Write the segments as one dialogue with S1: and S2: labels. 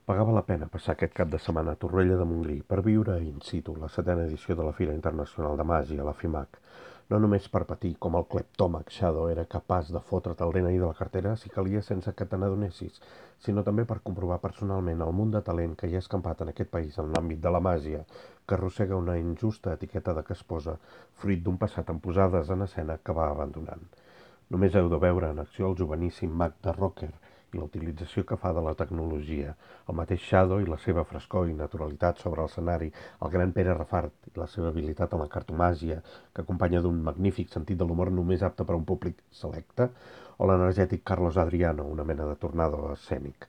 S1: Pagava la pena passar aquest cap de setmana a Torroella de Montgrí per viure in situ la 7a edició de la Fira Internacional de Màgia, la FIMAC. No només per patir com el cleptòmac Shadow era capaç de fotre't el DNI de la cartera si calia sense que te n'adonessis, sinó també per comprovar personalment el munt de talent que hi ha escampat en aquest país en l'àmbit de la màgia, que arrossega una injusta etiqueta de casposa, fruit d'un passat amb posades en escena que va abandonant. Només heu de veure en acció el joveníssim mag de Rocker i la utilització que fa de la tecnologia, el mateix Shadow i la seva frescor i naturalitat sobre l'escenari, el gran Pere Rafart i la seva habilitat en la cartomàgia, que acompanya d'un magnífic sentit de l'humor només apte per a un públic selecte, o l'energètic Carlos Adriano, una mena de tornado escènic.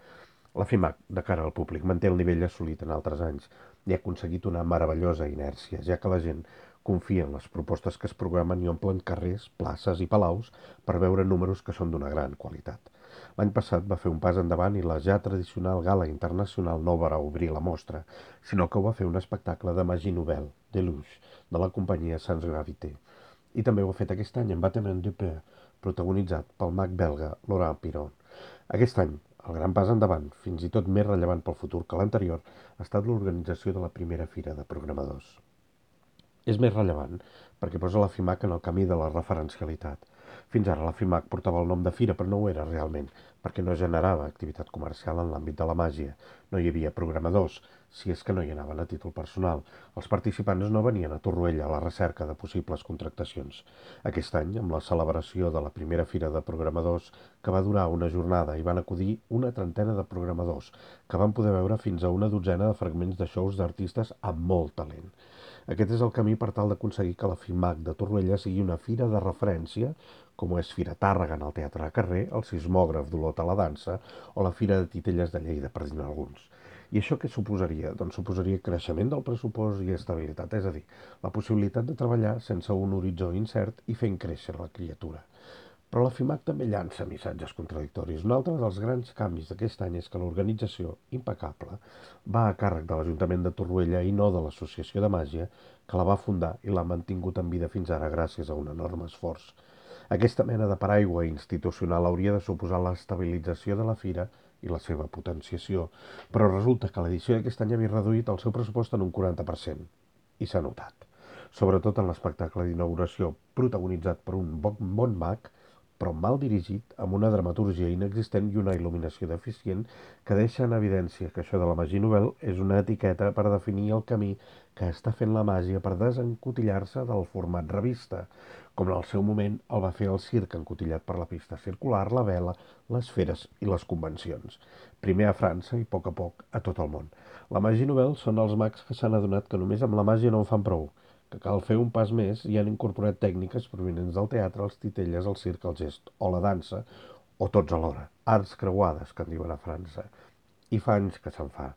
S1: La FIMAC, de cara al públic, manté el nivell assolit en altres anys i ha aconseguit una meravellosa inèrcia, ja que la gent confia en les propostes que es programen i omplen carrers, places i palaus per veure números que són d'una gran qualitat. L'any passat va fer un pas endavant i la ja tradicional gala internacional no va obrir la mostra, sinó que ho va fer un espectacle de Magie Nouvelle, Deluxe, de la companyia Sans Gravité. I també ho ha fet aquest any amb Bâtiment du Peur, protagonitzat pel mag belga Laurent Piron. Aquest any, el gran pas endavant, fins i tot més rellevant pel futur que l'anterior, ha estat l'organització de la primera fira de programadors. És més rellevant perquè posa la FIMAC en el camí de la referencialitat. Fins ara la FIMAC portava el nom de fira, però no ho era realment, perquè no generava activitat comercial en l'àmbit de la màgia. No hi havia programadors, si és que no hi anaven a títol personal. Els participants no venien a Torroella a la recerca de possibles contractacions. Aquest any, amb la celebració de la primera fira de programadors, que va durar una jornada i van acudir una trentena de programadors, que van poder veure fins a una dotzena de fragments de shows d'artistes amb molt talent. Aquest és el camí per tal d'aconseguir que la FIMAC de Torroella sigui una fira de referència, com ho és Fira Tàrrega en el Teatre de Carrer, el Sismògraf d'Olot a la dansa o la Fira de Titelles de Lleida, per dir-ne alguns. I això què suposaria? Doncs suposaria creixement del pressupost i estabilitat, és a dir, la possibilitat de treballar sense un horitzó incert i fent créixer la criatura. Però la FIMAC també llança missatges contradictoris. Un altre dels grans canvis d'aquest any és que l'organització, impecable, va a càrrec de l'Ajuntament de Torroella i no de l'Associació de Màgia, que la va fundar i l'ha mantingut en vida fins ara gràcies a un enorme esforç. Aquesta mena de paraigua institucional hauria de suposar l'estabilització de la fira i la seva potenciació, però resulta que l'edició d'aquest any havia reduït el seu pressupost en un 40%, i s'ha notat. Sobretot en l'espectacle d'inauguració, protagonitzat per un bon mag, però mal dirigit, amb una dramatúrgia inexistent i una il·luminació deficient que deixa en evidència que això de la Magie Nouvelle és una etiqueta per definir el camí que està fent la màgia per desencotillar-se del format revista, com en el seu moment el va fer el circ encotillat per la pista circular, la vela, les feres i les convencions. Primer a França i a poc a tot el món. La Magie Nouvelle són els mags que s'han adonat que només amb la màgia no en fan prou, que cal fer un pas més i han incorporat tècniques provinents del teatre, els titelles, el circ, el gest o la dansa, o tots alhora, arts creuades, que en diuen a França. I fa anys que se'n fa.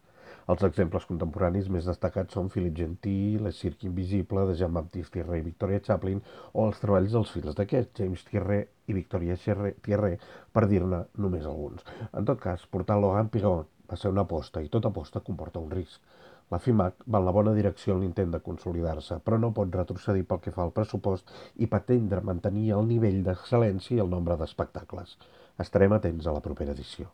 S1: Els exemples contemporanis més destacats són Philippe Gentil, Le Cirque Invisible, de Jean-Baptiste Thierry i Victoria Chaplin, o els treballs dels fills d'aquest, James Thierry i Victoria Thierry, per dir-ne només alguns. En tot cas, portar Laurent Piron va ser una aposta, i tota aposta comporta un risc. La FIMAC va en la bona direcció en l'intent de consolidar-se, però no pot retrocedir pel que fa al pressupost i pretendre mantenir el nivell d'excel·lència i el nombre d'espectacles. Estarem atents a la propera edició.